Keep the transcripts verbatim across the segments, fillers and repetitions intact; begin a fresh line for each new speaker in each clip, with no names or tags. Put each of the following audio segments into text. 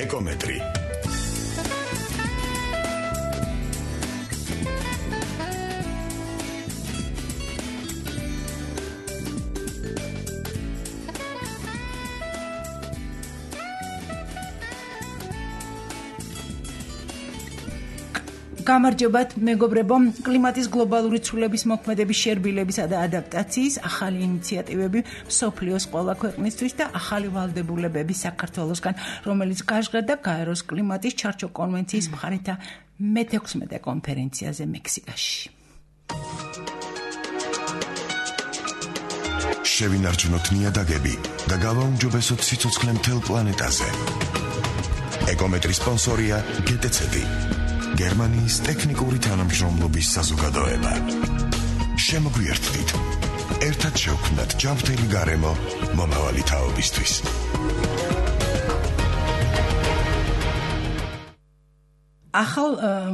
ეკომეტრი.
გამარჯობათ მეგობრებო, კლიმატის გლობალური ცვლილების მოქმედების შერბილებისა და ადაპტაციის ახალი ინიციატივები მსოფლიოს ყველა ქვეყნისთვის და ახალი ვალდებულებები საქართველოსგან, რომელიც გაჟღერდა გაეროს კლიმატის ჩარჩო კონვენციის მხარეთა მეთექვსმეტე კონფერენციაზე მექსიკაში.
შევინარჩუნოთ ნიადაგები და გავაუმჯობესოთ სიცოცხლე მთელ პლანეტაზე. ეკომეტრის სპონსორია ჯი ტი ცი დი. გერმანიის ტექნიკური თანამშრომლობის საზოგადოება. შემოგვიერთდით. ერთად შევქმნათ ჯანმრთელი გარემო მომავალი თაობისთვის.
ახალ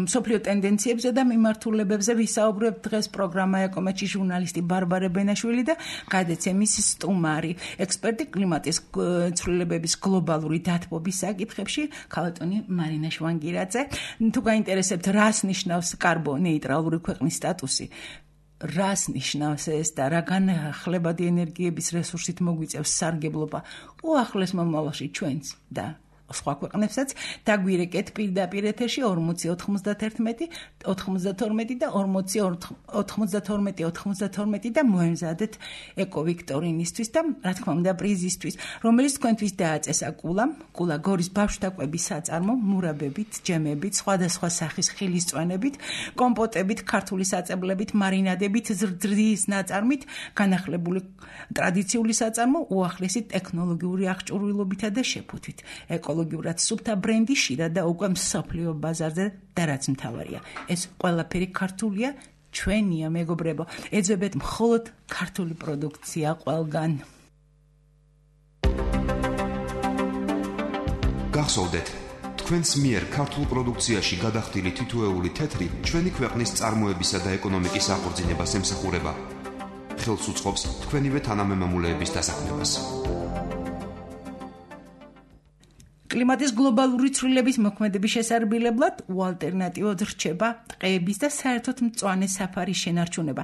მსოფლიო ტენდენციებზე და მიმართულებებზე ვისაუბრებ დღეს პროგრამა ეკომეტში ჟურნალისტი ბარბარე ბენაშვილი და გადაცემის სტუმარი, ექსპერტი კლიმატის ცვლილებების გლობალური დათბობის საკითხებში, ქალბატონი მარინა შვანგირაძე. თუ გაინტერესებთ, რას ნიშნავს კარბონეიტრალური ქვეყნის სტატუსი, რას ნიშნავს ეს და რა განახლებადი ენერგიების რესურსით მოგვიწევს სარგებლობა უახლეს მომავალში ჩვენს და სხვა ქვეყნებსაც, დაგვირეკეთ პირდაპირ ეთერში ორმოცი ოთხმოცდათერთმეტი ოცდათორმეტი და ორმოცი ოცდათორმეტი ოცდათორმეტი და მოემზადეთ ეკოვიქტორინისთვის და რა თქმა უნდა პრიზისთვის, რომელიც თქვენთვის დააწესა კულამ, კულა გორის ბავშვთა კვების საწარმო, მურაბებით, ჯემებით, სხვადასხვა სახის ხილისწვენებით, კომპოტებით, ქართული საწებლებით, მარინადებით, ზრდის ნაწარმით, განახლებული ტრადიციული საწარმო, უახლესი ტექნოლოგიური აღჭურვილობითა და შეფუთვით. ეკოლოგიურად სუფთა ბრენდი შირა და უკვე მსოფლიო ბაზარზე და რაც მთავარია, ეს ყველაფერი ქართულია, ჩვენია მეგობრებო. ეძებეთ მხოლოდ ქართული პროდუქცია ყველგან.
გახსოვდეთ, თქვენს მიერ ქართულ პროდუქციაში გადახდილი თითოეული თეთრი ჩვენი ქვეყნის წარმოებისა და ეკონომიკის აღორძინებას ემსახურება. ხელს უწყობს თქვენივე თანამემამულეების დასაქმებას.
კლიმატის გლობალური ცვლილების მოქმედების შესარბილებლად უალტერნატივოდ რჩება ტყეების და საერთოდ მწვანე საფარის შენარჩუნება.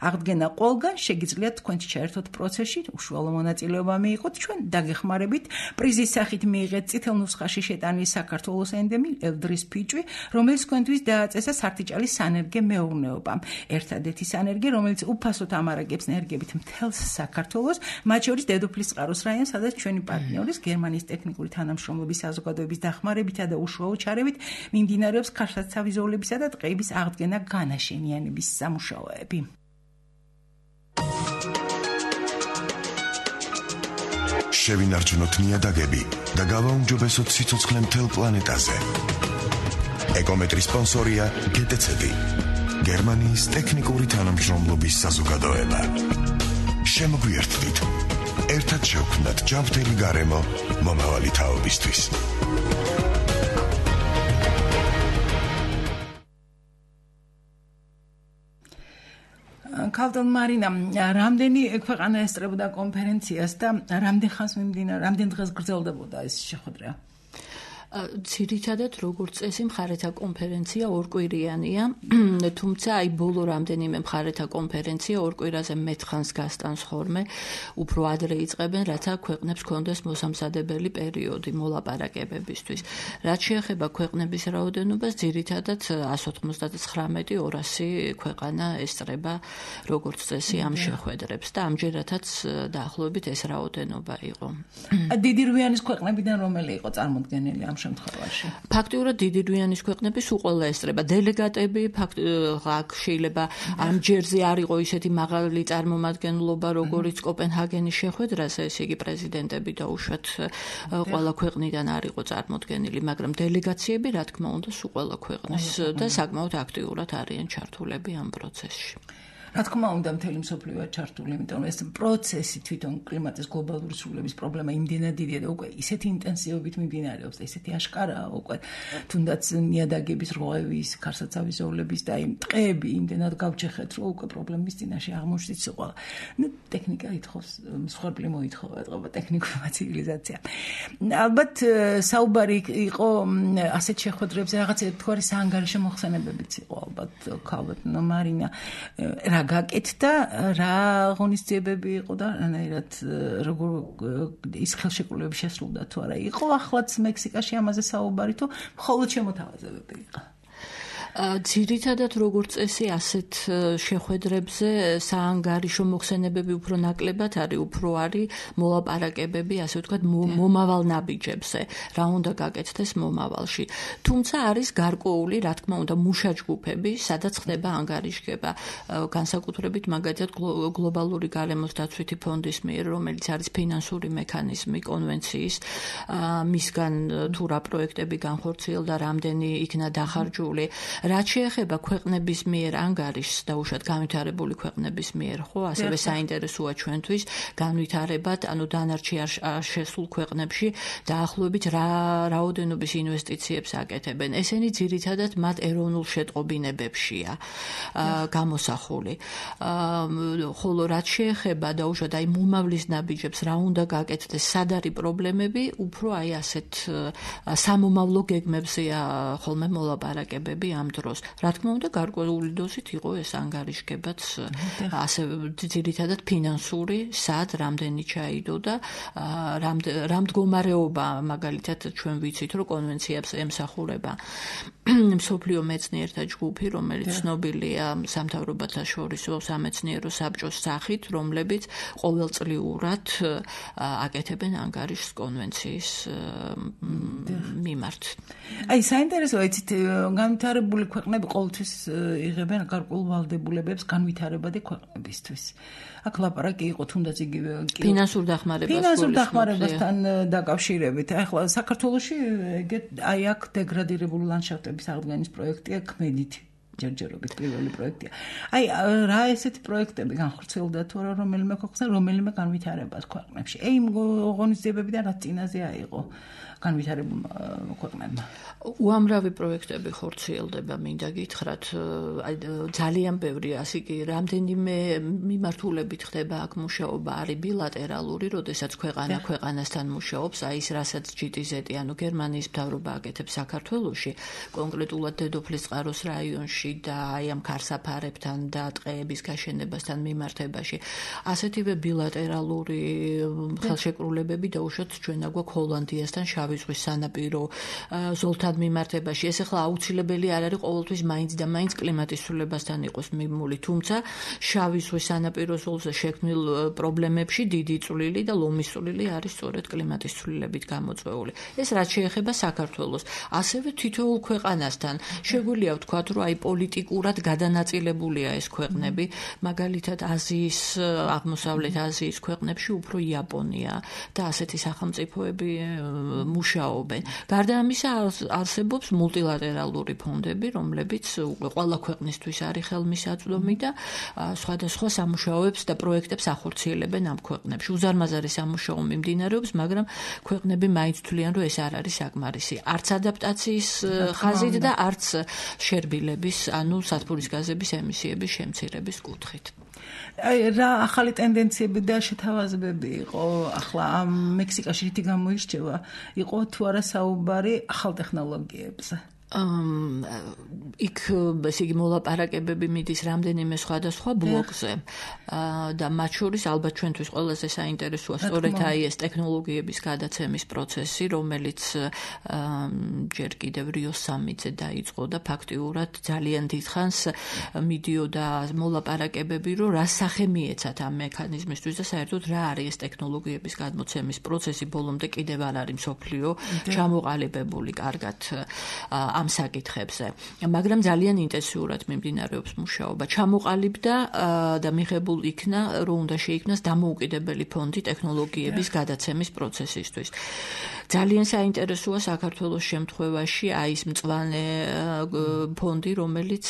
აღდგენა ყველგან შეგიძლიათ თქვენც ჩაერთოთ პროცესში, უშუალო მონაწილეობა მიიღოთ, ჩვენ დაგეხმარებით პრიზის სახით მიიღეთ წითელ ნუსხაში შეტანილი საქართველოს ენდემი ელდრის ფიჭვი, რომელიც თქვენთვის დააწესა სარტიჭალის სანერგე მეურნეობამ. ერთადერთი სანერგე, რომელიც უფასოდ ამარაგებს ენერგიებით მთელს საქართველოს, მათ შორის დედოფლის წყაროს რაიონს, სადაც ჩვენი პარტნიორის გერმანიის ტექნიკური თანამშრომლობის საზოგადოების დახმარებითა და უშუალო ჩარევით მიმდინარეობს ქარსაცავი ზოლებისა და ტყეების აღდგენა განაშენიანების სამუშაოები.
შევინარჩუნოთ ნიადაგები და გავაუმჯობესოთ სიცოცხლე მთელ პლანეტაზე. ეკომეტრის სპონსორია ჯი ტი ცი დი. გერმანიის ტექნიკური თანამშრომლობის საზოგადოება. შემოგვიერთდით. ერთად შევქმნათ ჯანმრთელი გარემო მომავალი თაობისთვის.
ქალბატონ მარინა, რამდენი ქვეყანა ესწრებოდა კონფერენციას და რამდენ ხანს მიმდინარე, რამდენ დღეს გრძელდებოდა ეს შეხვედრა?
ძირითადად როგორც წესი მხარეთა კონფერენცია ორკვირიანია, თუმცა აი ბოლო რამდენიმე მხარეთა კონფერენცია ორ კვირაზე მეთხანს გასტანს ხოლმე, უფრო ადრე იწყებენ, რათა ქვეყნებს კონდეს მოსამზადებელი პერიოდი მოლაპარაკებებისთვის. რაც შეეხება ქვეყნების რაოდენობას, ძირითადად εκατს ოცდათვრამეტი ორასი ქვეყანა ესწრება როგორც წესი ამ შეხვედრებს და ამჯერადაც დაახლოებით ეს რაოდენობა იყო.
დიდი რვიანის ქვეყნებიდან რომელი იყო წარმოდგენილი ამ შემთხვევაში?
ფაქტიურად დიდი რვიანის ქვეყნები სულ ყველა ესწრება. დელეგატები ფაქტ შეიძლება ამ ჯერზე არ იყო ისეთი მაღალი წარმომადგენლობა, როგორც კოპენჰაგენის შეხვედრაზე, ესე იგი პრეზიდენტები და უშუალოდ ყველა ქვეყნიდან არ იყო წარმოდგენილი, მაგრამ დელეგაციები, რა თქმა უნდა, სულ ყველა ქვეყნის და საკმაოდ აქტიურად არიან ჩართულები ამ პროცესში.
რა თქმა უნდა, მთელი მსოფლიოა ჩართული, იმიტომ რომ ეს პროცესი თვითონ კლიმატის გლობალური სრულების პრობლემა იმდენად დიდია და უკვე ისეთი ინტენსივობით მიმდინარეობს და ისეთი აშკარაა უკვე თუნდაც ნიადაგების რღვევის, ქარსაცავის ზოლების და იმ ტყეები იმდენად გავჩეხეთ, რომ უკვე პრობლემის წინაშე აღმოჩნდით სულ. ნუ ტექნიკა ითხოვს, მსხვერპლი მოითხოვა ეთყობა ტექნიკურმა ცივილიზაციამ. ალბათ საუბარი იყო ასეთ შეხვედრებზე რაღაც ერთგვარი საანგარიშო მოხსენებებიც იყო ალბათ ქალბატ მარინა რა გაკეთდა, რა ღონისძიებები იყო და რანაირად როგორ ის ხელშეკრულებები შესრულდა თუ არა. იყო ახლაც მექსიკაში ამაზე საუბარი თუ მხოლოდ შემოთავაზებები იყო.
ძირითადად როგორც წესი ასეთ შეხვედრებზე საანგარიშო მოხსენებები უფრო ნაკლებად არის, უფრო არის მოლაპარაკებები, ასე ვთქვათ, მომავალ ნაბიჯებზე, რა უნდა გაკეთდეს მომავალში. თუმცა არის გარკვეული, რა თქმა უნდა, მუშაჯგუფები, სადაც ხდება ანგარიშგება, განსაკუთრებით მაგალითად გლობალური გარემოს დაცვითი ფონდის მიერ, რომელიც არის ფინანსური მექანიზმი კონვენციის, მისგან თუ რა პროექტები განხორციელდა, რამდენი იქნა დახარჯული. რაც შეეხება ქვეყნების მიერ ანგარიშს და უშუალოდ განვითარებული ქვეყნების მიერ, ხო, ასევე საინტერესოა ჩვენთვის განვითარებად, ანუ დანარჩი არ შესულ ქვეყნებში დაახლოებით რა რაოდენობის ინვესტიციებს აკეთებენ. ესენი ძირითადად მათ ეროვნულ შეტყობინებებშია გამოსახული. ხოლო რაც შეეხება და უშუალოდ აი მომავლის ნაბიჯებს რა უნდა გაკეთდეს, სად არის პრობლემები, უფრო აი ასეთ სამომავლო გეგმებზეა ხოლმე მოლაპარაკებები ამ დროს. რა თქმა უნდა, გარკვეული დოზით იყო ეს ანგარიშგებაც, ასე ძირითადად ფინანსური, სად, რამდენი ჩაიდო და რა მდგომარეობა, მაგალითად ჩვენ ვიცით, რომ კონვენციებს ემსახურება მსოფლიო მეცნიერთა ჯგუფი, რომელიც ცნობილია სამთავრობათა შორისო სამეცნიერო საბჭოს სახით, რომლებიც ყოველწლიურად აკეთებენ ანგარიშს კონვენციის მიმართ.
აი, საინტერესოა, იცით, განვითარებული ქვეყნები ყოველთვის იღებენ გარკვეულ ვალდებულებებს განვითარებადი ქვეყნებისთვის. აქ ლაპარაკი იყო თუნდაც იგივე
ფინანსურ დახმარებას
ფინანსურ დახმარებასთან დაკავშირებით. ახლა საქართველოში აი აქ დეგრადირებული ლანდშაფტების აღდგენის პროექტია ქმედითი. ჯერჯერობით პირველი პროექტია. აი რა ესეთი პროექტები განხორციელდა თუ არა რომელიმე ქვეყანაში, რომელიმე განვითარებას ქვეყნებში. აი ღონისძიებებიდან რა წინაზე აიღო განვითარებულ ქვეყნებმა.
უამრავი პროექტები ხორციელდება, მინდა გითხრათ, აი ძალიან ბევრი, ასე კი რამდენიმე მიმართულებით ხდება აქ მუშაობა, არის ბილატერალური, როდესაც ქვეყანა ქვეყანასთან მუშაობს, აი ის რასაც ჯი ტი ზეტი, ანუ გერმანიის მთავრობა აკეთებს საქართველოში, კონკრეტულად დედოფლისწყაროს რაიონში და აი ამ ქარსაფარებთან და ტყეების გაშენებასთან მიმართებაში. ასეთივე ბილატერალური ხელშეკრულებები და უშუალოდ ჩვენ აგვაქვს ჰოლანდიასთან შავი ზღვის სანაპირო ზოლთან მიმართებაში. ეს ახლა აუცილებელი არ არის ყოველთვის მაინც და მაინც კლიმატის ცვლილებასთან იყოს მიმული, თუმცა შავი ზღვის სანაპირო ზოლზე შექმნილ პრობლემებში დიდი წვლილი და ლომის წვლილი არის სწორედ კლიმატის ცვლილებით გამოწვეული. ეს რაც შეეხება საქართველოს, ასევე თითოეულ ქვეყანასთან შეგვიძლია ვთქვათ, რომ აი პოლიტიკურად გადანაწილებულია ეს ქვეყნები, მაგალითად აზიის, აღმოსავლეთ აზიის ქვეყნებში უფრო იაპონია და ასეთი სახელმწიფოები მუშაობენ. გარდა ამისა არსებობს მულტილატერალური ფონდები, რომლებიც უკვე ყველა ქვეყნისთვის არის ხელმისაწვდომი და სხვადასხვა სამუშაოებს და პროექტებს ახორციელებენ ამ ქვეყნებში. უზარმაზარი სამუშაო მიმდინარეობს, მაგრამ ქვეყნები მაინც თვლიან, რომ ეს არ არის საკმარისი. არც ადაპტაციის ხაზით და არც შერბილების, ანუ სათბურის გაზების ემისიების შემცირების კუთხით.
აი რა ახალი ტენდენციები და შეთავაზებები იყო ახლა ამ მექსიკაში რითი გამოირჩევა, იყო თუ არა საუბარი ახალ ტექნოლოგიებზე?
იქ ესე იგი მოლაპარაკებები მიდის რამდენიმე სხვადასხვა ბლოკზე და მათ შორის ალბათ ჩვენთვის ყველაზე საინტერესოა სწორედ აი ეს ტექნოლოგიების გადაცემის პროცესი, რომელიც ჯერ კიდევ რიოს სამიტზე დაიწყო და ფაქტიურად ძალიან დიდხანს მიდიოდა მოლაპარაკებები, რომ რა სახე მიეცათ ამ მექანიზმისთვის და საერთოდ რა არის ეს ტექნოლოგიების გადმოცემის პროცესი. ბოლომდე კიდევ არ არის მსოფლიო ჩამოყალიბებული კარგად ამ საკითხებზე, მაგრამ ძალიან ინტენსიურად მიმდინარეობს მუშაობა. ჩამოყალიბდა და მიღებულ იქნა, რომ უნდა შეიქმნას დამოუკიდებელი ფონდი ტექნოლოგიების გადაცემის პროცესისთვის. ძალიან საინტერესოა საქართველოს შემთხვევაში აი ეს მწვანე ფონდი, რომელიც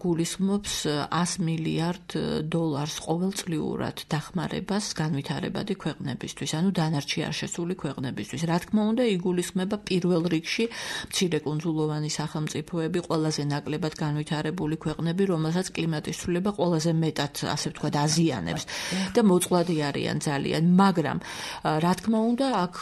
გულისხმობს ას მილიარდ დოლარს ყოველწლიურად დახმარებას განვითარებადი ქვეყნებისთვის, ანუ დანარჩი არ შესული ქვეყნებისთვის. რა თქმა უნდა, იგულისხმება პირველ რიგში მცირე კუნძულოვანი სახელმწიფოები, ყველაზე ნაკლებად განვითარებული ქვეყნები, რომელსაც კლიმატის ცვლილება ყველაზე მეტად, ასე ვთქვათ, აზიანებს და მოწყვლადი არიან ძალიან, მაგრამ რა თქმა უნდა, აქ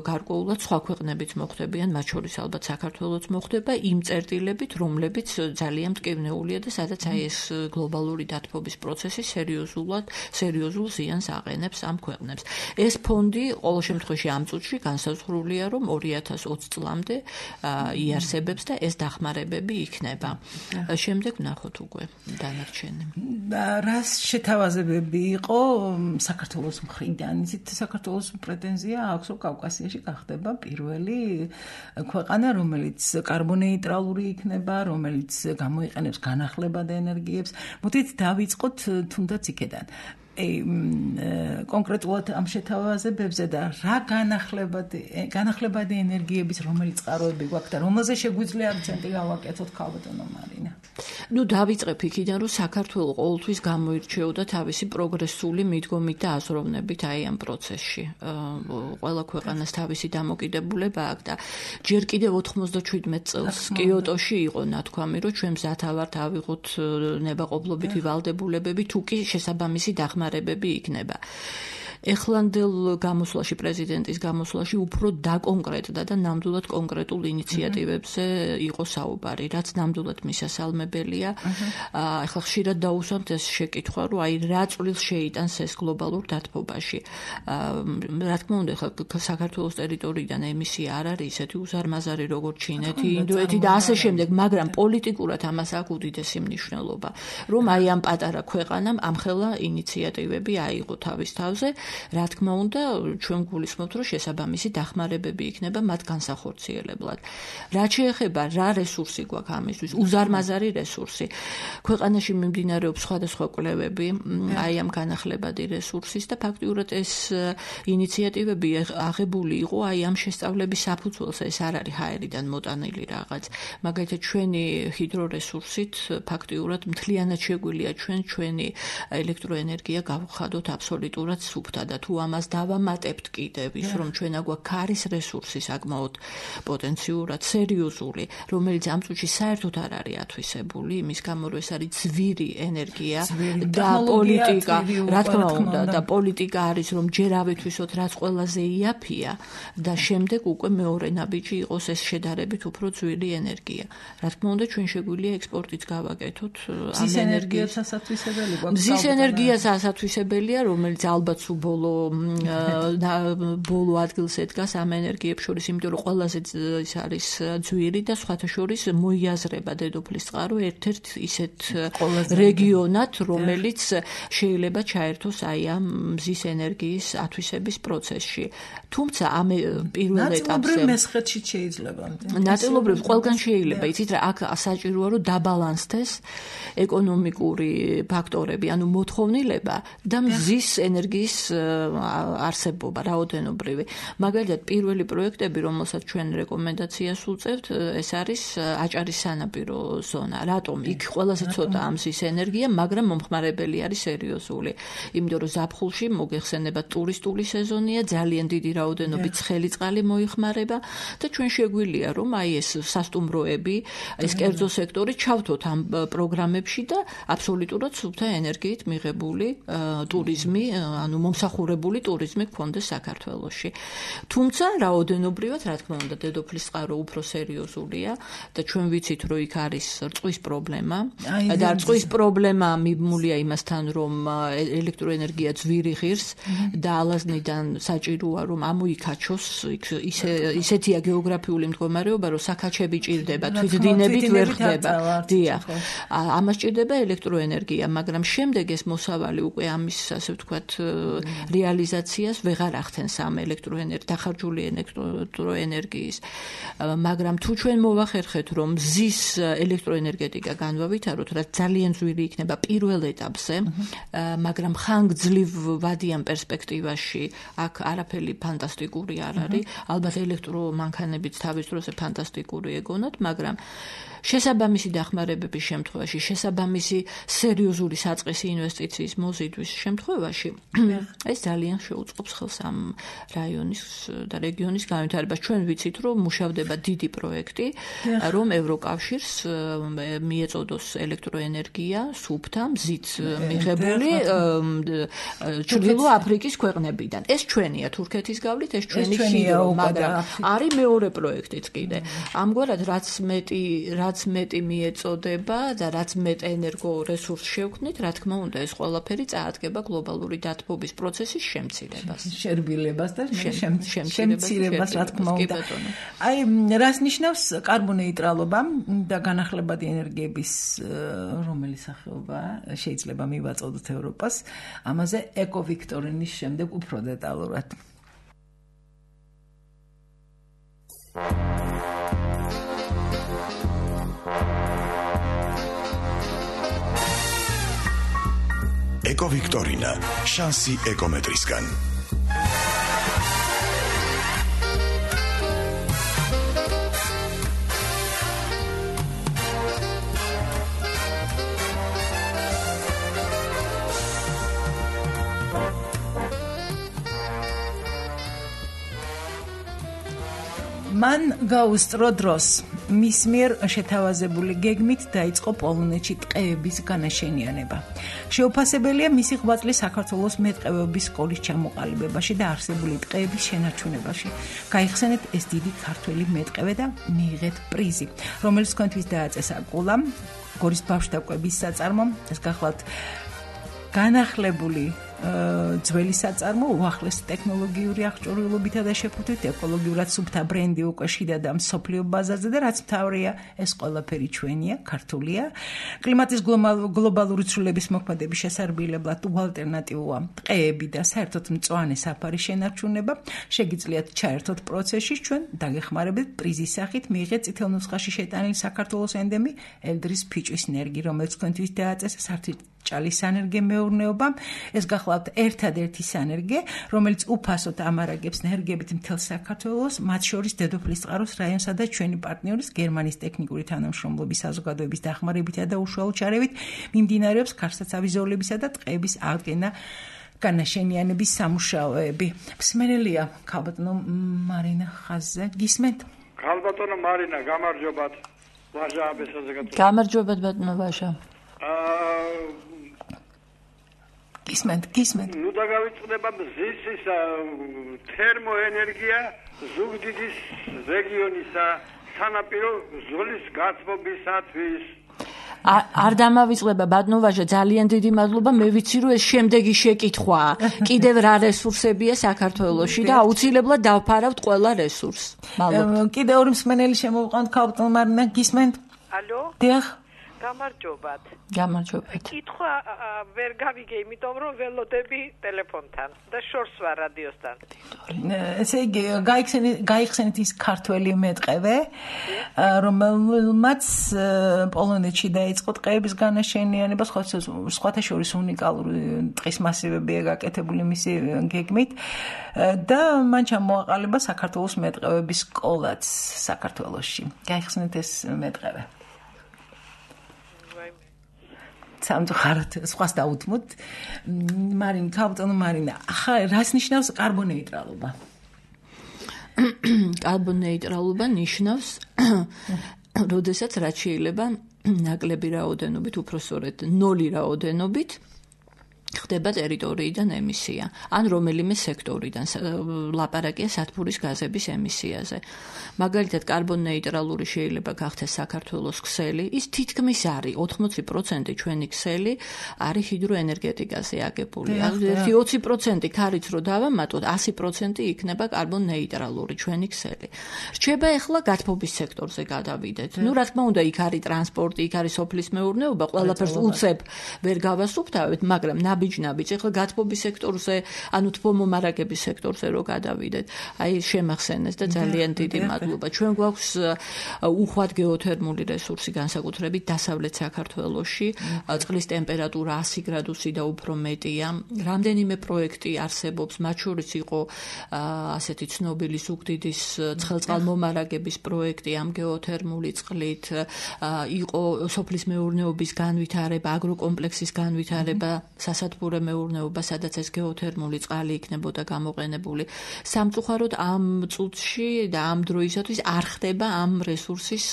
გარკვეულად სხვა ქვეყნებიც მოხდებიან, მათ შორის ალბათ საქართველოც მოხდება იმ წერტილებით, რომლებიც ძალიან მტკივნეულია და სადაც აი ეს გლობალური დათბობის პროცესი სერიოზულად, სერიოზულ ზიანს აყენებს ამ ქვეყნებს. ეს ფონდი ყოველ შემთხვევაში ამ წუთში განსაზღვრულია, რომ ორი ათას ოცი წლამდე იარსებებს და ეს დახმარებები იქნება. შემდეგ ვნახოთ უკვე დანარჩენი.
რას შეთავაზებები იყო საქართველოს მხრიდან? იცით, საქართველოს პრეტენზია აქვს, რომ კავკასიაში გახდება პირველი ქვეყანა, რომელიც კარბონეიტრალური იქნება, რომელიც გამოიყენებს განახლებად ენერგიებს. მოდით დავიწყოთ თუნდაც იქედან. კონკრეტულად ამ შეთავაზებებზე და რა განახლებადი განახლებადი ენერგიების რომელიც წყაროები გვაქვს და რომელზე შეგვიძლია აქცენტი გავაკეთოთ ქალბატონო მარინა.
ნუ დავიწყებ იქიდან, რომ საქართველო ყოველთვის გამოირჩეოდა თავისი პროგრესული მიდგომით და აზროვნებით აი ამ პროცესში. ყველა ქვეყანას თავისი დამოკიდებულება აქვს და ჯერ კიდევ ოთხმოცდაჩვიდმეტ წელს კიოტოში იყო ნათქვამი, რომ ჩვენ მზათა ვართ ავიღოთ ნებაყოფლობითი ვალდებულებები, თუ კი შესაბამისი დახმარებები იქნება. ეხლანდელ გამოსვლაში, პრეზიდენტის გამოსვლაში უფრო დაკონკრეტდა და ნამდვილად კონკრეტულ ინიციატივებზე იყო საუბარი, რაც ნამდვილად მისასალმებელია. ახლა ხშირად დაუსვამთ ეს შეკითხვა, რომ აი რა წვლილს შეიტანს ეს გლობალურ დათბობაში. რა თქმა უნდა, ახლა საქართველოს ტერიტორიიდან ემისია არ არის ისეთი უზარმაზარი როგორც ჩინეთი, ინდოეთი და ასე შემდეგ, მაგრამ პოლიტიკურად ამას აქვს უდიდესი მნიშვნელობა, რომ აი ამ პატარა ქვეყანამ ამხელა ინიციატივები აიღო თავის თავზე. რა თქმა უნდა, ჩვენ გულისხმობთ, რომ შესაბამისი დახმარებები იქნება მათ განსახორციელებლად. რაც შეეხება რა რესურსი გვაქვს ამისთვის, უზარმაზარი რესურსი. ქვეყანაში მიმდინარეობს სხვადასხვა კვლევები აი ამ განახლებადი რესურსის და ფაქტიურად ეს ინიციატივები აღებული იყო აი ამ შესწავლების საფუძველზე, ეს არ არის ჰაერიდან მოტანილი რაღაც. მაგალითად, ჩვენი ჰიდრორესურსით ფაქტიურად მთლიანად შეგვიძლია ჩვენ ჩვენი ელექტროენერგია გავხადოთ აბსოლუტურად სუფთა და თუ ამას დავამატებთ კიდევ ის, რომ ჩვენ აგვაქვს ქარის რესურსი საკმაოდ პოტენციურად სერიოზული, რომელიც ამ წუთში საერთოდ არ არის ათვისებული, იმის გამო რომ ეს არის ძვირი ენერგია და პოლიტიკა, რა თქმა უნდა, და პოლიტიკა არის, რომ ჯერ ავითვისოთ, რაც ყველაზე იაფია და შემდეგ უკვე მეორე ნაბიჯი იყოს ეს შედარებით უფრო ძვირი ენერგია. რა თქმა უნდა, ჩვენ შეგვიძლია ექსპორტიც გავაკეთოთ ამ ენერგიას
ასათვისებელი გვაქვს.
მზის ენერგიას ასათვისებელია, რომელიც ალბათ ბოლო ბოლო ადგილს ედგას ამ ენერგიებს შორის, იმიტომ რომ ყველაზე ის არის ძვირი და სხვათა შორის მოიაზრება დედოფლის წყარო ერთ-ერთ ისეთ რეგიონად, რომელიც შეიძლება ჩაერთოს აი ამ მზის ენერგიის ათვისების პროცესში. თუმცა ამ პირველ ეტაპზე
მესხეთში შეიძლება.
ნაწილობრივ ყველგან შეიძლება, იცით რა, აქ საჭიროა რომ დაბალანსდეს ეკონომიკური ფაქტორები, ანუ მოთხოვნილება და მზის ენერგიის არსებობა, რაოდენობრივი. მაგალითად, პირველი პროექტები, რომელსაც ჩვენ რეკომენდაციას უწევთ, ეს არის აჭარის სანაპირო ზონა. რატომ? იქ ყველაზე ცოტა ამზის ენერგია, მაგრამ მომხმარებელი არის სერიოზული. იმიტომ რომ ზაფხულში მოგეხსენება ტურისტული სეზონია, ძალიან დიდი რაოდენობით ცხელი წყალი მოიხმარება და ჩვენ შეგვიძლია რომ აი ეს სასტუმროები, ეს კერძო სექტორი ჩავთოთ ამ პროგრამებში და აბსოლუტურად სუფთა ენერგიით მიღებული ტურიზმი, ანუ მომსახურებული ტურიზმი გქონდეს საქართველოში. თუმცა რაოდენობრივად, რა თქმა უნდა, დედოფლის წყარო უფრო სერიოზულია და ჩვენ ვიცით, რომ იქ არის რწყვის პრობლემა და რწყვის პრობლემა მიმულია იმასთან, რომ ელექტროენერგია ძვირი ღირს და ალაზნიდან საჭიროა, რომ ამოიქაჩოს, ისე ისეთია გეოგრაფიული მდგომარეობა, რომ საქაჩები ჭირდება, თვითდინებით ვერ ხდება. დიახ. ამას ჭირდება ელექტროენერგია, მაგრამ შემდეგ ეს მოსავალი უკვე ამის, ასე ვთქვათ, რეალიზაციას ვეღარ ახდენს ამ ელექტროენერგიის დახარჯული ელექტროენერგიის. მაგრამ თუ ჩვენ მოვახერხეთ, რომ მზის ელექტროენერგეტიკა განვავითაროთ, რაც ძალიან ძვირი იქნება პირველ ეტაპზე, მაგრამ ხანგრძლივ ვადიან პერსპექტივაში აქ არაფერი ფანტასტიკური არ არის. ალბათ ელექტრომანქანებიც თავის დროზე ფანტასტიკური ეგონათ, მაგრამ შესაბამისი დახმარებების შემთხვევაში, შესაბამისი სერიოზული საწყისი ინვესტიციის მოზიდვის შემთხვევაში, ეს ძალიან შეუწყობს ხელს ამ რაიონის და რეგიონის განვითარებას. ჩვენ ვიცით, რომ მუშავდება დიდი პროექტი, რომ ევროკავშირს მიეწოდოს ელექტროენერგია სუფთა მზით მიღებული ჩრდილო აფრიკის ქვეყნებიდან. ეს ჩვენია თურქეთის გავლით, ეს ჩვენი ჰიდრო, მაგრამ არის მეორე პროექტიც კიდე. ამგვარად რაც მეტი რაც მეტი მიეწოდება და რაც მეტ ენერგო რესურსს შევქმნით, რა თქმა უნდა, ეს ყველაფერი წაადგება გლობალური დათბობის პროცესის შემცირებას.
შერბილებას და შემცირებას, რა თქმა უნდა. აი, რას ნიშნავს კარბონეიტრალობა და განახლებადი ენერგიების რომელი სახეობა შეიძლება მივაწოდოთ ევროპას? ამაზე ეკოვიქტორინის შემდეგ უფრო დეტალურად.
ეკოვიქტორინა, შანსი ეკომეტრისგან.
მან გაუსწრო დროს მის მიერ შეთავაზებული გეგმით დაიწყო პოლონეთში ტყეების განაშენიანება. შეუფასებელია მისი ღვაწლი საქართველოს მეტყევეობის სკოლის ჩამოყალიბებაში და არსებული ტყეების შენარჩუნებაში. გაიხსენეთ ეს დიდი ქართველი მეტყევე და მიიღეთ პრიზი, რომელიც თქვენთვის დააწესა კულამ, გორის ბავშვთა კვების საწარმომ, ეს გახლავთ განახლებული ძველი საწარმო უახლესი ტექნოლოგიური აღჭურვილობითა და შეფუთვით ეკოლოგიურად სუფთა ბრენდი უკვე შიდა და მსოფლიო ბაზარზე და რაც მთავრია ეს ყველაფერი ჩვენია, ქართულია. კლიმატის გლობალური ცვლილების მოქმედების შესარბილებლად უალტერნატივოა ტყეები და საერთოდ მწვანე საფარის შენარჩუნება. შეგიძლიათ ჩაერთოთ პროცესში, ჩვენ დაგეხმარებით პრიზის სახით მიიღეთ წითელ ნუსხაში შეტანილი საქართველოს ენდემი ელდრის ფიჭვის ნერგი, რომელიც თქვენთვის დააწესა სარჭალის სანერგე მეურნეობამ. ეს გახლავთ ერთადერთი სანერგე, რომელიც უფასოდ ამარაგებს ნერგებით მთელ საქართველოს, მათ შორის დედოფლის წყაროს რაიონსა და ჩვენი პარტნიორის გერმანიის ტექნიკური თანამშრომლობის საზოგადოების დახმარებითა და უშუალო ჩარევით მიმდინარეობს ქარსაცავი ზოლებისა და ტყეების აღდგენა განაშენიანების სამუშაოები. მსმენელია ქალბატონო მარინა ხაზზე. გისმენთ?
ქალბატონო მარინა, გამარჯობათ. ვაჟა აბესაზეგატო.
გამარჯობათ ბატონო ვაჟა.
აა
გისმენთ, გისმენთ.
ნუ დაგავიწყდება მზის ის თერმოენერგია ზუგდიდის რეგიონისა სანაპირო ზოლის გათბობისათვის.
არ დამავიწყდება ბატონო ვაჟა, ძალიან დიდი მადლობა. მე ვიცი რომ ეს შემდეგი შეკითხვაა. კიდევ რა რესურსებია საქართველოში და აუცილებლად დავფარავთ ყველა რესურსს. მადლობა.
კიდევ ორი მსმენელი შემოვყავთ ქალბატონო მარინა, გისმენთ?
ალო?
დიახ.
გამარჯობათ.
გამარჯობათ.
კითხვა ვერ გავიგე, იმიტომ რომ ველოდები ტელეფონთან და შორს ვარ რადიოსთან.
ესე იგი, გაიხსენეთ ის ქართველი მეტყევე, რომელმაც პოლონეთში დაიწყო ტყეების განაშენიანება, სხვათა შორის უნიკალური ტყის მასივებია გაკეთებული მისი გეგმით და მან ჩამოაყალიბა საქართველოს მეტყევების სკოლაც საქართველოში. გაიხსენეთ ეს მეტყევე. სამწუხაროდ სხვას დაუთმოთ. მარინა, ქალბატონო მარინა, ახლა რას ნიშნავს კარბონეიტრალობა?
კარბონეიტრალობა ნიშნავს, როდესაც რაც შეიძლება ნაკლები რაოდენობით, უпроსორედ ნული რაოდენობით ხდება ტერიტორიიდან ემისია, ან რომელიმე სექტორიდან ლაპარაკია სათბურის გაზების ემისიაზე. მაგალითად, კარბონეიტრალური შეიძლება გახდეს საქართველოს ქსელი, ის თითქმის არის ოთხმოცი პროცენტი ჩვენი ქსელი არის ჰიდროენერგეტიკაზე აგებული. ერთი ოცი პროცენტი ქარიც რო დავამატოთ, ასი პროცენტი იქნება კარბონეიტრალური ჩვენი ქსელი. რჩება ახლა გათბობის სექტორზე გადავიდეთ. ნუ რა თქმა უნდა, იქ არის ტრანსპორტი, იქ არის სოფლის მეურნეობა, ყველაფერს უცებ ვერ გავასუფთავებთ, მაგრამ ნაბიჯ-ნაბიჯ. ეხლა გათბობის სექტორზე, ანუ თბომომარაგების სექტორზე რო გადავიდეთ, აი შემახსენეს და ძალიან დიდი მადლობა. ჩვენ გვაქვს უხვად გეოთერმული რესურსი განსაკუთრებით დასავლეთ საქართველოში, წყლის ტემპერატურა ასი გრადუსი და უფრო მეტია. რამდენიმე პროექტი არსებობს, მათ შორის იყო ასეთი ცნობილი ზუგდიდის ცხელწყალმომარაგების პროექტი ამ გეოთერმული წყლით, იყო სოფლის მეურნეობის განვითარება, აგროკომპლექსის განვითარება, სასათბურე მეურნეობა, სადაც ეს გეოთერმული წყალი იქნებოდა გამოყენებული. სამწუხაროდ ამ წუთში და ამ დროისათვის არ ხდება ამ რესურსის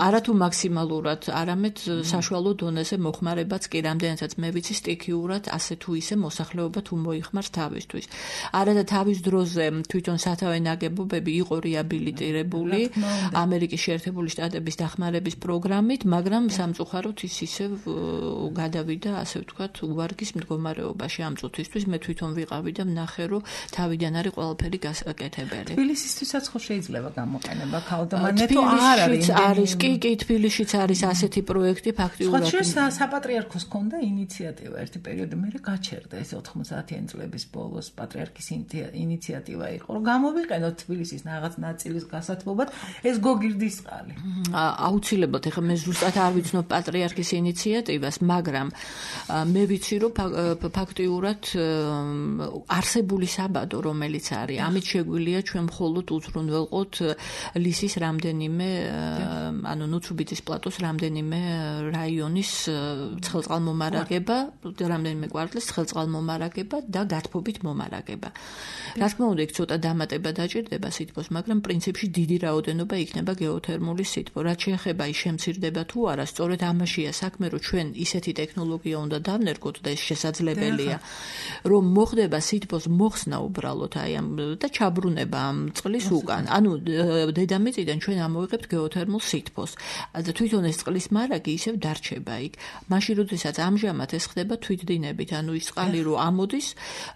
არათუ მაქსიმალურად, არამედ საშუალო დონეზე მოხმარებაც კი, რამდენადაც მე ვიცი სტიქიურად ასე თუ ისე მოსახლეობა თუ მოიხმარს თავისთვის. არა და თავის დროზე თვითონ სათავე ნაგებობები იყო რეაბილიტირებული ამერიკის შეერთებული შტატების დახმარების პროგრამით, მაგრამ სამწუხაროდ ის ისევ გადავიდა, ასე ვთქვათ, უვარგის მდგომარეობაში ამ წუთისთვის. მე თვითონ ვიყავი და ვნახე, რომ თავიდან არის ყველაფერი გასაკეთებელი.
თბილისისთვისაც ხო შეიძლება გამოყენება ქალდამანე თუ არ არის?
არის კი, კი, თბილისშიც არის ასეთი პროექტი ფაქტიურად.
სხვა შეს საპატრიარქოს ჰქონდა ინიციატივა ერთი პერიოდი, მე გაჩერდა ეს ოთხმოცდაათიანი წლების ბოლოს პატრიარქის ინიციატივა იყო, რომ გამოვიყენოთ თბილისის რაღაც ნაწილის გასათბობად ეს გოგირდის წყალი.
აუცილებლად, ეხლა მე ზუსტად არ ვიცნობ პატრიარქის ინიციატივას, მაგრამ მე ვიცი, რომ ფაქტიურად არსებული საბადო, რომელიც არის, ამით შეგვიძლია ჩვენ მხოლოდ უზრუნველყოთ ლისის რამდენიმე, ანუ ნუცუბიძის პლატოს რამდენიმე რაიონის ცხელწყალმომარაგება, რამდენიმე კვარტლის ცხელწყალმომარაგება და გათბობით მომარაგება. რა თქმა უნდა, იქ ცოტა დამატება დაჭირდება სითბოს, მაგრამ პრინციპში დიდი რაოდენობა იქნება გეოთერმული სითბო. რაც შეეხება ის შემცირდება თუ არა, სწორედ ამაშია საქმე, რომ ჩვენ ისეთი ტექნოლოგია უნდა დავნერგოთ და ეს შესაძლებელია, რომ მოხდება სითბოს მოხსნა უბრალოდ აი ამ და ჩაბრუნება ამ წყლის უკან. ანუ დედამიწიდან ჩვენ ამოვიღებთ გეოთერმულ სითბოს. და თვითონ ეს წყლის მარაგი ისევ დარჩება იქ. მაშინ როდესაც ამჟამად ეს ხდება თვითდინებით, ანუ ის წყალი რო ამოდის,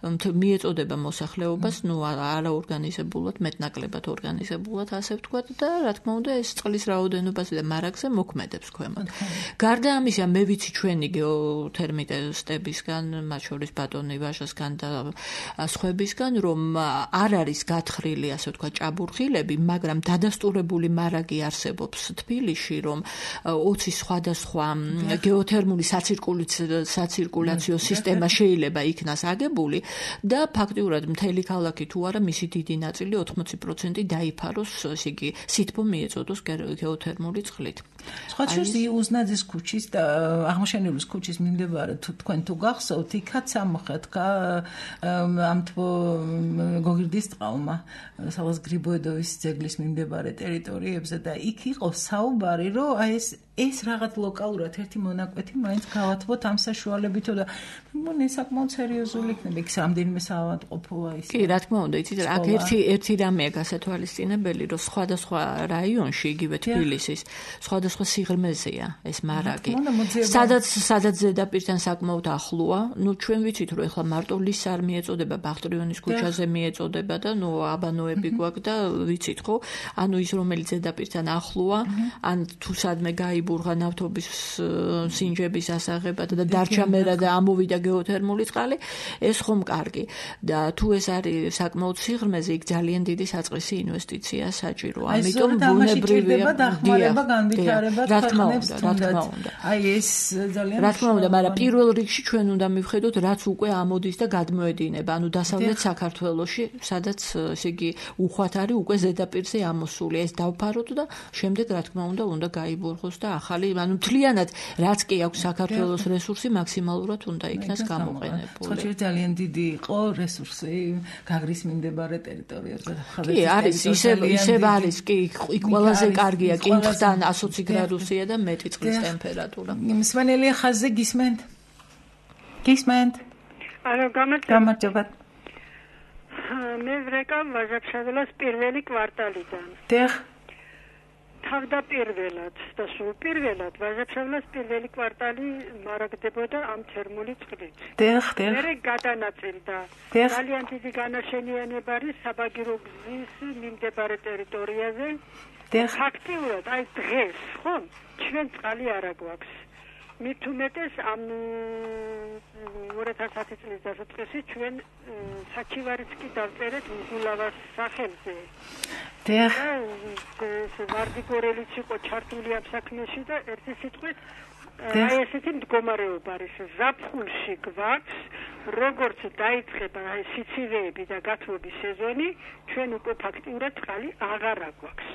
მიეწოდება მოსახლეობას, ნუ არაორგანიზებულად, მეტნაკლებად ორგანიზებულად, ასე ვთქვათ და რა თქმა უნდა ეს წყლის რაოდენობაზე და მარაგზე მოქმედებს ქვემოთ. გარდა ამისა, მე ვიცი ჩვენი გეოთერმისტებისგან, მათ შორის ბატონი ვაჟასგან და სხვებისგან, რომ არ არის გათხრილი, ასე ვთქვათ, ჭაბურღილები, მაგრამ დადასტურებული მარაგი არსებობს თბილისში, რომ ოცი სხვადასხვა გეოთერმული საცირკულაციო სისტემა შეიძლება იქნას აგებული და ფაქტიურად მთელი ქალაქი თუ არა, მისი დიდი ნაწილი ოთხმოცი პროცენტი დაიფაროს, ესე იგი, სითბო მიეწოდოს გეოთერმული წყლით.
სხვა შორის უზნაძის ქუჩის და აღმაშენებლის ქუჩის მიმდებარე თქვენ თუ გახსოვთ, იქაც ამოხეთქა ამ თბო გოგირდის წყალმა სადღაც გრიბოედოვის ძეგლის მიმდებარე ტერიტორიებზე და იქ იყო საუბარი, რომ აი ეს ეს რაღაც ლოკალურად ერთი მონაკვეთი მაინც გავათბოთ ამ საშუალებითო და მგონი საკმაოდ სერიოზული იქნება იქ რამდენიმე საავადმყოფოა ის.
კი, რა თქმა უნდა, იცით, აქ ერთი ერთი რამეა გასათვალისწინებელი, რომ სხვადასხვა რაიონში, იგივე თბილისის, სხვადასხვა სიღრმეზეა ეს მარაგი. სადაც სადაც ზედაპირთან საკმაოდ ახლოა, ნუ ჩვენ ვიცით, რომ ეხლა მარტო ლის არ მიეწოდება, ბახტრიონის ქუჩაზე მიეწოდება და ნუ აბანოები გვაქვს და ვიცით ხო? ანუ ის რომელიც ზედაპირთან ახლოა, ან თუ სადმე გაი ბურღა ნავთობის სინჯების ასაღებად და დარჩა მერა და ამოვიდა გეოთერმული წყალი, ეს ხომ კარგი. და თუ ეს არის საკმაოდ სიღრმეზე, იქ ძალიან დიდი საწყისი ინვესტიცია საჭიროა. ამიტომ ბუნებრივია
დახმარება, განვითარება,
რა თქმა უნდა, რა თქმა უნდა.
აი ეს ძალიან
რა თქმა უნდა, მაგრამ პირველ რიგში ჩვენ უნდა მივხედოთ, რაც უკვე ამოდის და გადმოედინება, ანუ დასავლეთ საქართველოში, სადაც ესე იგი უხვად არის უკვე ზედაპირზე ამოსული. ეს დავფაროთ და შემდეგ რა თქმა უნდა, უნდა გაიბურღოს და ახალი, ანუ მთლიანად რაც კი აქვს საქართველოს რესურსი მაქსიმალურად უნდა იქნას გამოყენებული.
სხვა ძალიან დიდი იყო რესურსი გაგრის მიმდებარე ტერიტორიებზე.
კი, არის, ისევ ისევ არის, კი, იქ ყველაზე კარგია, კინთთან ოცი გრადუსია და მეტი წყლის ტემპერატურა.
მსმენელია ხაზზე გისმენთ? გისმენთ?
არა, გამარჯობა.
გამარჯობა.
მე ვრეკავ ვაჟა-ფშაველას პირველი კვარტალიდან.
დიახ.
თავდაპირველად და სულ პირველად ვაჟა-ფშაველას პირველი კვარტალი მარაგდებოდა ამ თერმული წყლით.
დიახ, დიახ.
მერე გადანაწილდა. ძალიან დიდი განაშენიანება არის საბაგირო გზის მიმდებარე ტერიტორიაზე.
დიახ.
ფაქტიურად, აი დღეს, ხო, ჩვენ წყალი არ აგვაქვს.
მით უმეტეს ამ ორი ათას ათი წლის დასაწყისში ჩვენ საჩივარიც კი დავწერეთ უგულავას სახელზე.
დიახ.
ეს ვარდიკორელიც იყო ჩართული ამ საქმეში და ერთი სიტყვით აი ესეთი მდგომარეობა არის ზაფხულში გვაქვს როგორც დაიწყება აი სიცივეები და გათბობის სეზონი ჩვენ უკვე ფაქტიურად წყალი აღარ აგვაქვს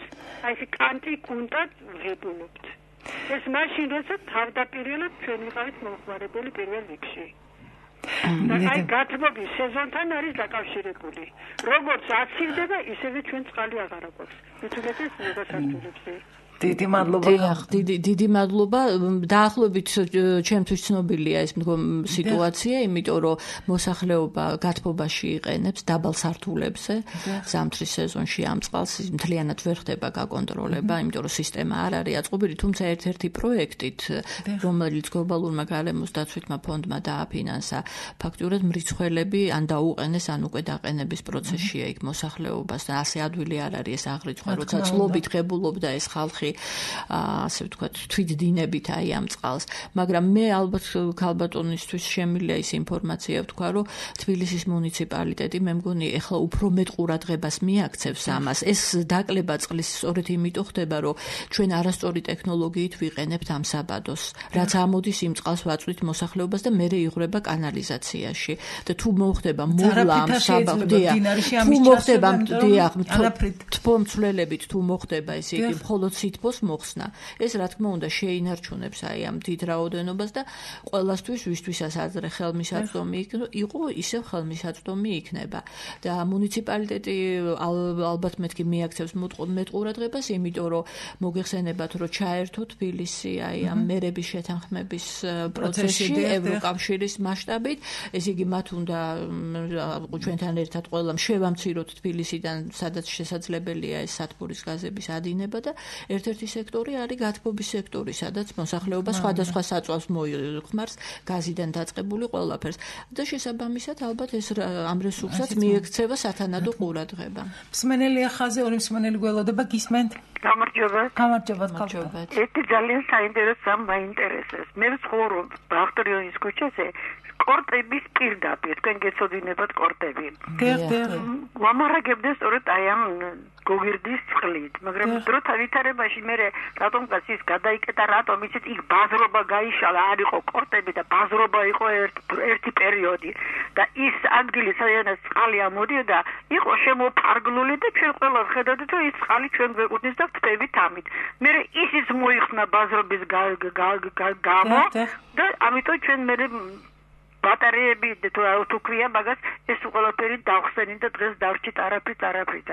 აი ეს კანტი კუნტად ვღებულობთ ეს მაშინ როდესაც თავდაპირველად ჩვენ ვიყავით მომხმარებელი პირველ რიგში და აი გათბობის სეზონთან არის დაკავშირებული როგორც აცივდება ისევე ჩვენ წყალი აღარ აგვაქვს მithumetes მოგასართულებზე
დიდი მადლობა.
დიახ, დიდი დიდი მადლობა. დაახლოებით ჩემთვის ცნობილია ეს სიტუაცია, იმიტომ რომ მოსახლეობა გათბობაში იყენებს დაბალ სართულებზე ზამთრის სეზონში ამ წყალს მთლიანად ვერ ხდება გაკონტროლება, იმიტომ რომ სისტემა არ არის აწყობილი, თუმცა ერთ-ერთი პროექტით, რომელიც გლობალურმა გარემოს დაცვითმა ფონდმა დააფინანსა, ფაქტურად მრიცხველები ან დაუყენეს, ან უკვე დაყენების პროცესშია იქ მოსახლეობას და ასე ადვილი არ არის ეს აღრიცხვა, როცა წლობით ღებულობდა ეს ხალხი ასე ვთქვათ თვითდინებით აი ამ წყალს მაგრამ მე ალბათ ქალბატონისთვის შემიძლია ის ინფორმაცია ვთქვა რომ თბილისის მუნიციპალიტეტი მე მგონი ეხლა უფრო მეტ ყურადღებას მიაქცევს ამას ეს დაკლება წყლის სწორედ იმიტომ ხდება რომ ჩვენ არასწორი ტექნოლოგიით ვიყენებთ ამ საბადოს რაც ამოდის იმ წყალს ვაწვით მოსახლეობას და მერე იღვრება კანალიზაციაში და თუ მოხდება მოვლა ამ საბადოზე თუ მოხდება დიახ თბომცვლელებით თუ მოხდება ესე იგი მხოლოდ სითბოს მოხსნა. ეს რა თქმა უნდა შეინარჩუნებს აი ამ დიდ რაოდენობას და ყველასთვის ვისთვისაც ადრე ხელმისაწვდომი იყო, ისევ ხელმისაწვდომი იქნება. და მუნიციპალიტეტი ალბათ მეთქი მიაქცევს მეტ ყურადღებას, იმიტომ რომ მოგეხსენებათ, რომ ჩაერთო თბილისი აი ამ მერების შეთანხმების პროცესში ევროკავშირის მასშტაბით, ესე იგი მათ უნდა ჩვენთან ერთად ყველამ შევამციროთ თბილისიდან, სადაც შესაძლებელია ეს სათბურის გაზების ადინება და ერთ-ერთი სექტორი არის გათბობის სექტორი, სადაც მოსახლეობა სხვადასხვა საწვავს მოიხმარს გაზიდან დაწყებული ყველაფერს და შესაბამისად ალბათ ეს ამ რესურსაც მიექცევა სათანადო ყურადღება.
მსმენელი ახაზე ორი მსმენელი გველოდება გისმენთ?
გამარჯობა.
გამარჯობა.
ერთი ძალიან საინტერესო მაინტერესებს. მე ვცხოვრობ ბახტარიონის ქუჩაზე კორტების პირდაპირ, თქვენ გეცოდინებათ კორტები.
დიახ, დიახ.
ვამარაგებდეს სწორედ აი ამ გოგირდის წყლით, მაგრამ დროთა ვითარებაში მე რატომღაც ის გადაიკეტა, რატომ იცით იქ ბაზრობა გაიშალა, არ იყო კორტები და ბაზრობა იყო ერთი პერიოდი და ის ადგილი საერთოდ წყალი ამოდიოდა, იყო შემოფარგლული და ჩვენ ყველა ხედავთ რომ ის წყალი ჩვენ გვეკუთვნის და ვწევით ამით. მე ისიც მოიხსნა ბაზრობის გამო და ამიტომ ჩვენ მე ბატარეები თუ ქვია მაგას ეს ყველაფერი დავხსენით და დღეს დავრჩით არაფრით არაფრით.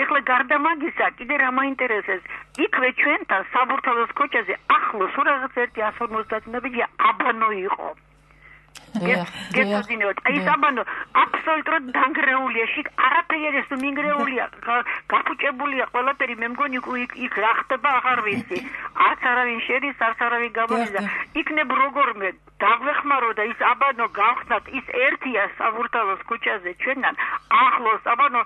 ეხლა გარდა მაგისა კიდე რა მაინტერესებს იქვე ჩვენთან საბურთალოს ქუჩაზე ახლოს რაღაც ერთი ათს ორმოცდაათი აბანო იყო. გეცოდინებათ აი საბანო აბსოლუტურად დანგრეულია შიგ არაფერი ეს მინგრეულია გაფუჭებულია ყველაფერი მე მგონი იქ რა ხდება აღარ ვიცი არც არავინ შედის არც არავინ გამოდიდა იქნებ როგორმე დაგვეხმარო და ის აბანო გავხსნათ ის ერთია საბურთალოს ქუჩაზე ჩვენთან ახლოს აბანო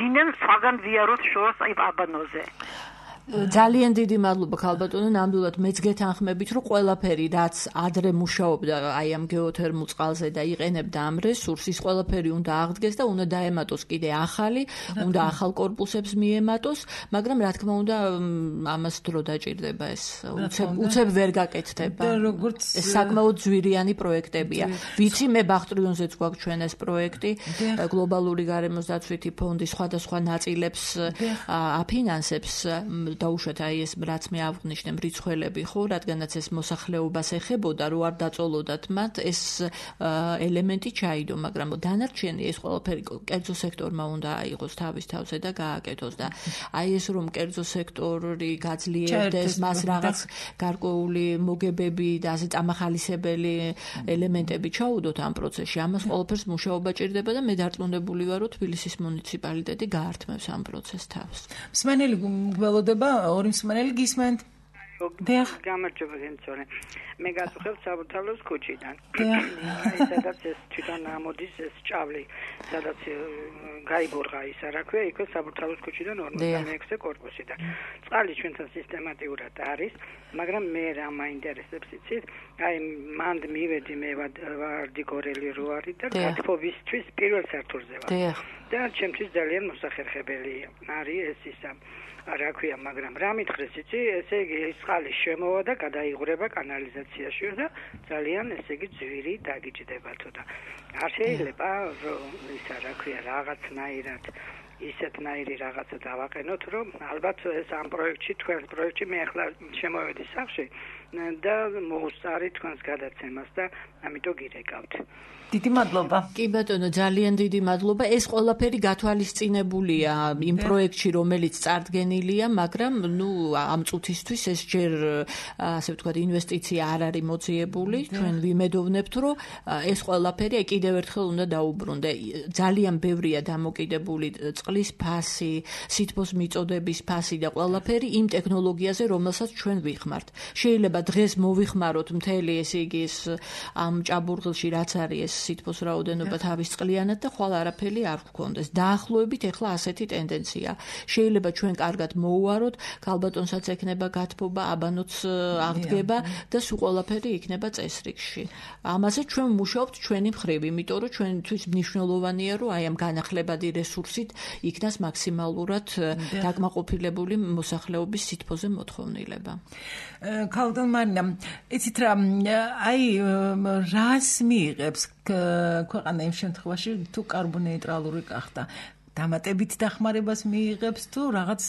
ვინემ სხვაგან ვიაროთ შორს აი აბანოზე
ძალიან დიდი მადლობა ქალბატონო, ნამდვილად მეც გეთანხმებით, რომ ყველაფერი რაც ადრე მუშაობდა აი ამ გეოთერმულ წყალზე და იყენებდა ამ რესურსს, ის ყველაფერი უნდა აღდგეს და უნდა დაემატოს კიდე ახალი, უნდა ახალ კორპუსებს მიემატოს, მაგრამ რა თქმა უნდა ამას დრო დაჭირდება ეს უცებ უცებ ვერ გაკეთდება. ეს საკმაოდ ძვირიანი პროექტებია. ვიცი მე ბახტრიონზეც გვაქვს ჩვენ ეს პროექტი, გლობალური გარემოს დაცვითი ფონდი სხვადასხვა ნაწილებს აფინანსებს დაუშვათ აი ეს რაც მე აღვნიშნე მრიცხველები ხო, რადგანაც ეს მოსახლეობას ეხებოდა, რო არ დაწოლოდათ მათ ეს ელემენტი ჩაიდო, მაგრამ დანარჩენი ეს ყველაფერი კერძო სექტორმა უნდა აიღოს თავის თავზე და გააკეთოს და აი ეს რომ კერძო სექტორი გაძლიერდეს, მას რაღაც გარკვეული მოგებები და ასე წამახალისებელი ელემენტები ჩაუდოთ ამ პროცესში, ამას ყველაფერს მუშაობა ჭირდება და მე დარწმუნებული ვარ, რომ თბილისის მუნიციპალიტეტი გაართმევს ამ პროცესს თავს.
მსმენელი გველოდება ორი მსმენელი გისმენთ?
გამარჯობა გენცორე. მე გაწუხებ საბურთალოს ქუჩიდან. აი სადაც ეს თვითონ ამოდის ეს ჭავლი, სადაც გაიბორღა ის რა ქვია, იქ საბურთალოს ქუჩიდან ორმოცდამეექვსე კორპუსიდან. წყალი ჩვენთან სისტემატიურად არის, მაგრამ მე რა მაინტერესებს იცით? აი მანდ მივედი მე ვარდი გორელი რო არის და გათხოვისთვის პირველ სართულზე ვარ. და ჩემთვის ძალიან მოსახერხებელი არის ეს ისა რა ქვია, მაგრამ რა მითხრეს იცი, ესე იგი ეს წყალი შემოვა და გადაიღრება კანალიზაციაში და ძალიან ესე იგი ძვირი დაგიჯდება თუ და არ შეიძლება ისა რა ქვია რაღაცნაირად ისეთნაირი რაღაცა დავაყენოთ, რომ ალბათ ეს ამ პროექტში, თქვენ პროექტში მე ახლა შემოვედი სახლში და მოუსწარი თქვენს გადაცემას და ამიტომ გირეკავთ.
დიდი მადლობა.
კი ბატონო, ძალიან დიდი მადლობა. ეს ყველაფერი გათვალისწინებულია იმ პროექტში, რომელიც წარდგენილია, მაგრამ ნუ ამ წუთისთვის ეს ჯერ ასე ვთქვათ, ინვესტიცია არ არის მოძიებული. ჩვენ ვიმედოვნებთ, რომ ეს ყველაფერი კიდევ ერთხელ უნდა დაუბრუნდე. ძალიან ბევრია დამოკიდებული წყლის ფასი, სითბოს მიწოდების ფასი და ყველაფერი იმ ტექნოლოგიაზე, რომელსაც ჩვენ ვიხმართ. შეიძლება დღეს მოვიხმაროთ მთელი ესე იგი ეს ამ ჭაბურღილში რაც არის სითბოს რაოდენობა თავის წყლიანად და ხვალ არაფერი არ გქონდეს. დაახლოებით ეხლა ასეთი ტენდენცია. შეიძლება ჩვენ კარგად მოუაროთ, ქალბატონსაც ექნება გათბობა, აბანოც აღდგება და სულ ყველაფერი იქნება წესრიგში. ამაზე ჩვენ ვმუშაობთ ჩვენი მხრივ, იმიტომ რომ ჩვენთვის მნიშვნელოვანია, რომ აი ამ განახლებადი რესურსით იქნას მაქსიმალურად დაკმაყოფილებული მოსახლეობის სითბოზე მოთხოვნილება.
ქალბატონ მარინა, იცით რა, აი რას მიიღებს ქვეყანა იმ შემთხვევაში თუ კარბონეიტრალური გახდა? დამატებით დახმარებას მიიღებს თუ რაღაც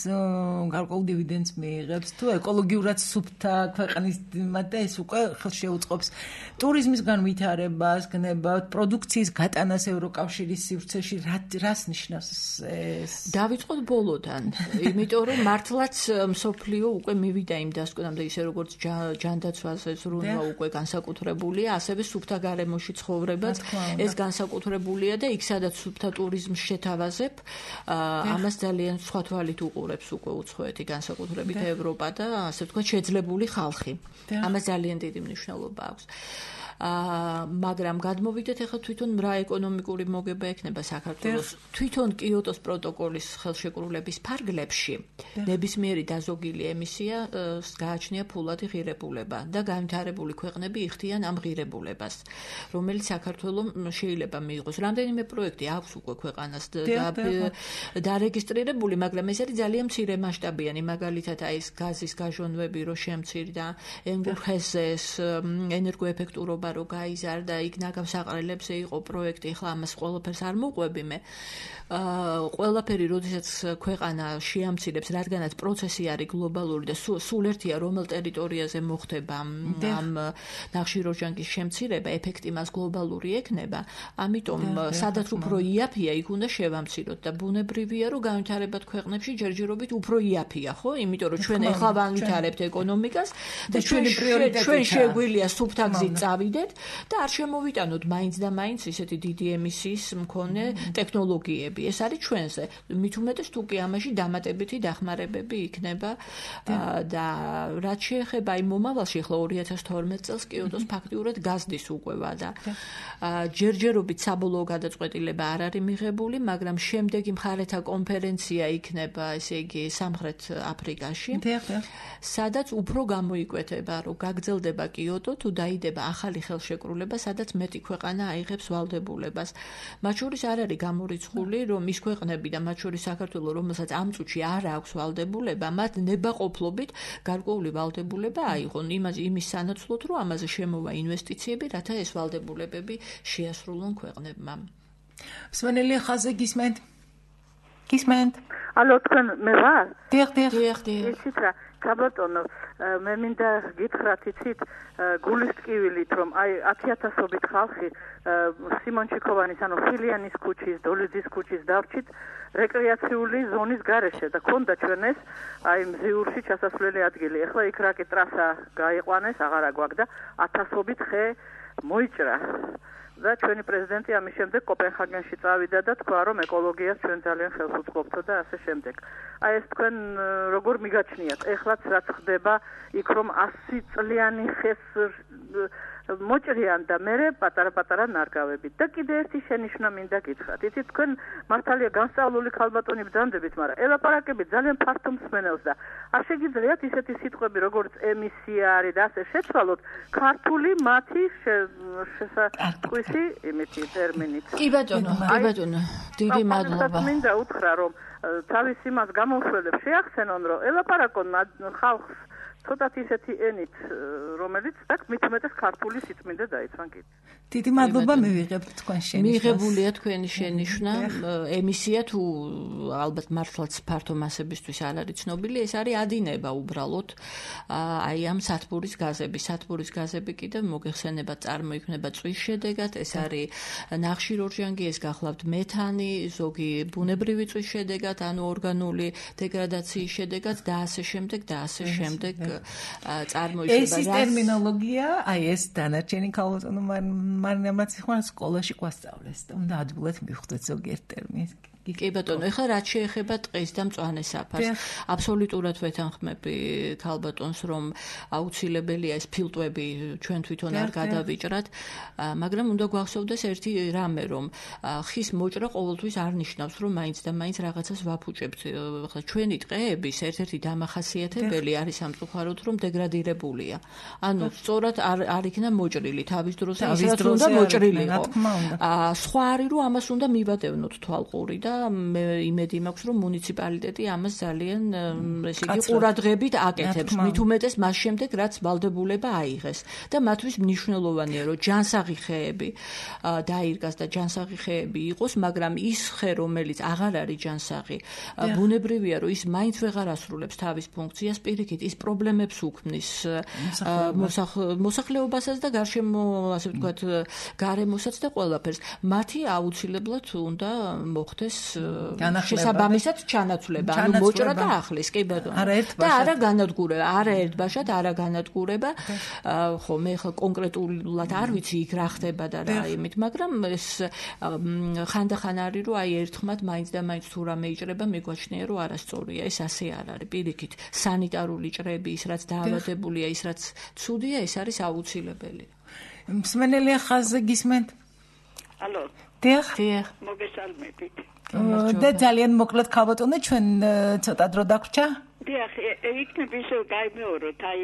გარკვეულ დივიდენდს მიიღებს თუ ეკოლოგიურად სუფთა ქვეყნის და ეს უკვე ხელს შეუწყობს ტურიზმის განვითარებას, გნებავთ, პროდუქციის გატანას ევროკავშირის სივრცეში, რას ნიშნავს ეს?
დავიწყოთ ბოლოდან, იმიტომ რომ მართლაც მსოფლიო უკვე მივიდა იმ დასკვნამდე, ისე როგორც ჯანდაცვაზე ზრუნვა უკვე განსაკუთრებულია, ასევე სუფთა გარემოში ცხოვრებაც ეს განსაკუთრებულია და იქ სადაც სუფთა ტურიზმს შეთავაზებ ამას ძალიან სხვა თვალით უყურებს უკვე უცხოეთი განსაკუთრებით ევროპა და ასე ვთქვათ შეძლებული ხალხი. ამას ძალიან დიდი მნიშვნელობა აქვს. მაგრამ გადმოვიდეთ ახლა თვითონ რა ეკონომიკური მოგება ექნება საქართველოს. თვითონ კიოტოს პროტოკოლის ხელშეკრულების ფარგლებში ნებისმიერი დაზოგილი ემისია გააჩნია ფულადი ღირებულება და განვითარებული ქვეყნები იხდიან ამ ღირებულებას, რომელიც საქართველოს შეიძლება მიიღოს. რამდენიმე პროექტი აქვს უკვე ქვეყანას დარეგისტრირებული, მაგრამ ეს არის ძალიან მცირე მასშტაბიანი, მაგალითად აი ეს გაზის გაჟონვები რო შემცირდა, ენგურხესეს ენერგოეფექტურობა რო გაიზარდა, იქ ნაგავსაყრელებზე იყო პროექტი, ახლა ამას ყველაფერს არ მოყვები მე. ყველაფერი, როდესაც ქვეყანა შეამცირებს, რადგანაც პროცესი არის გლობალური და სულ ერთია რომელ ტერიტორიაზე მოხდება ამ ნახშირორჟანგის შემცირება, ეფექტი მას გლობალური ექნება, ამიტომ სადაც უფრო იაფია, იქ უნდა შევამციროთ და ბუნებრივია, რომ განვითარებად ქვეყნებში ჯერჯერობით უფრო იაფია, ხო? იმიტომ რომ ჩვენ ახლა განვითარებთ ეკონომიკას და ჩვენი პრიორიტეტია. ჩვენ შეგვიძლია სუფთა გზით წავიდეთ და არ შემოვიტანოთ მაინც და მაინც ისეთი დიდი ემისიის მქონე ტექნოლოგიები. ეს არის ჩვენზე. მით უმეტეს თუ კი ამაში დამატებითი დახმარებები იქნება და რაც შეეხება იმ მომავალში, ახლა ორი ათას თორმეტ წელს კიოტოს ფაქტიურად გაზდის უკვე და ჯერჯერობით საბოლოო გადაწყვეტილება არ არის მიღებული, მაგრამ შემდეგი მხარეთა კონფერენცია იქნება, ესე იგი, სამხრეთ აფრიკაში, სადაც უფრო გამოიკვეთება, რომ გაგრძელდება კიოტო თუ დაიდება ახალი ხელშეკრულება, სადაც მეტი ქვეყანა აიღებს ვალდებულებას. მათ შორის არ არის გამორიცხული, რომ ის ქვეყნები და მათ შორის საქართველო, რომელსაც ამ წუთში არ აქვს ვალდებულება, მათ ნებაყოფლობით გარკვეული ვალდებულება აიღონ იმას იმის სანაცვლოდ, რომ ამაზე შემოვა ინვესტიციები, რათა ეს ვალდებულებები შეასრულონ ქვეყნებმა.
მსმენელი ხაზზე გისმენთ? გისმენთ?
ალო, თქვენ მე ვარ?
დიახ, დიახ.
დიახ, დიახ.
იცით რა, ქალბატონო, მე მინდა გითხრათ, იცით, გულის ტკივილით, რომ აი ათი ათასობით ხალხი სიმონ ჩიქოვანის, ანუ ფილიანის ქუჩის, დოლიძის ქუჩის დავრჩით რეკრეაციული ზონის გარეშე და ქონდა ჩვენ ეს აი მზიურში ჩასასვლელი ადგილი. ეხლა იქ რაკი ტრასა გაიყვანეს, აღარა გვაქვს და ათასობით ხე მოიჭრა.
და ჩვენი პრეზიდენტი ამის შემდეგ კოპენჰაგენში წავიდა და თქვა, რომ ეკოლოგიას ჩვენ ძალიან ხელს უწყობთ და ასე შემდეგ. აი ეს თქვენ როგორ მიგაჩნიათ? ეხლაც რაც ხდება იქ რომ ასი წლიანი ხეს მოჭრიან და მე პატარა-პატარა ნარგავებით. და კიდე ერთი შენიშვნა მინდა გითხრათ. იცით თქვენ მართალია განსწავლული ქალბატონი ბრძანდებით, მაგრამ ელაპარაკებით ძალიან ფართო მსმენელს და არ შეგიძლიათ ისეთი სიტყვები როგორც ემისია არის და ასე შეცვალოთ ქართული მათი შესაწყისი იმითი ტერმინით.
კი ბატონო, კი ბატონო, დიდი მადლობა.
მინდა უთხრა რომ თავის იმას გამოსვლებს შეახსენონ რომ ელაპარაკონ ხალხს ცოტათ ისეთი ენით რომელიც და მით უმეტეს ქართული სიწმინდე დაიცვან კიდე.
დიდი მადლობა მივიღებთ თქვენ შენიშვნას.
მიღებულია თქვენი შენიშვნა. ემისია თუ ალბათ მართლაც ფართო მასებისთვის არ არის ცნობილი, ეს არის ადინება უბრალოდ აი ამ სათბურის გაზები. სათბურის გაზები კიდევ მოგეხსენებათ წარმოიქმნება წვის შედეგად, ეს არის ნახშირორჟანგი, ეს გახლავთ მეთანი, ზოგი ბუნებრივი წვის შედეგად, ანუ ორგანული დეგრადაციის შედეგად და ასე შემდეგ და ასე შემდეგ წარმოიქმნება.
ეს ის ტერმინოლოგია, აი ეს დანარჩენი ქალბატონო მარინამაც ხარ სკოლაში გვასწავლეს და უნდა ადვილად მივხვდეთ ზოგიერთ ტერმინს.
კი ბატონო, ეხლა რაც შეეხება ტყის და მწვანე საფარს, აბსოლუტურად ვეთანხმები ქალბატონს, რომ აუცილებელია ეს ფილტვები ჩვენ თვითონ არ გადავიჭრათ, მაგრამ უნდა გვახსოვდეს ერთი რამე, რომ ხის მოჭრა ყოველთვის არ ნიშნავს, რომ მაინც და მაინც რაღაცას ვაფუჭებთ. ეხლა ჩვენი ტყეების ერთ-ერთი დამახასიათებელი არის სამწუხაროდ, რომ დეგრადირებულია. ანუ სწორად არ არ იქნა მოჭრილი თავის დროზე, ისაც უნდა მოჭრილიყო. სხვა არის, რომ ამას უნდა მივადევნოთ თვალყური და მე იმედი მაქვს, რომ მუნიციპალიტეტი ამას ძალიან ესე იგი ყურადღებით აკეთებს. მით უმეტეს მას შემდეგ, რაც ვალდებულება აიღეს. და მათთვის მნიშვნელოვანია, რომ ჯანსაღი ხეები დაირგას და ჯანსაღი ხეები იყოს, მაგრამ ის ხე, რომელიც აღარ არის ჯანსაღი, ბუნებრივია, რომ ის მაინც ვეღარ ასრულებს თავის ფუნქციას, პირიქით ის პრობლემებს უქმნის მოსახლეობასაც და გარშემო, ასე ვთქვათ, გარემოსაც და ყველაფერს. მათი აუცილებლად უნდა მოხდეს შესაბამისად ჩანაცვლება, ანუ მოჭრა და ახლის, კი ბატონო. და არა განადგურება, არა ერთბაშად, არა განადგურება. ხო, მე ხა კონკრეტულად არ ვიცი იქ რა ხდება და რა იმით, მაგრამ ეს ხანდახან არის, რომ აი ერთხმად მაინც და მაინც თუ რამე იჭრება, მიგვაჩნია, რომ არასწორია, ეს ასე არ არის. პირიქით, სანიტარული ჭრები, ის რაც დაავადებულია, ის რაც ცუდია, ეს არის აუცილებელი.
მსმენელი ხაზზე გისმენთ?
ალო.
დიახ.
დიახ.
მოგესალმებით.
და ძალიან მოკლედ ქალბატონო, ჩვენ ცოტა დრო დაგვრჩა?
დიახ, იქნებ ისე გაიმეოროთ, აი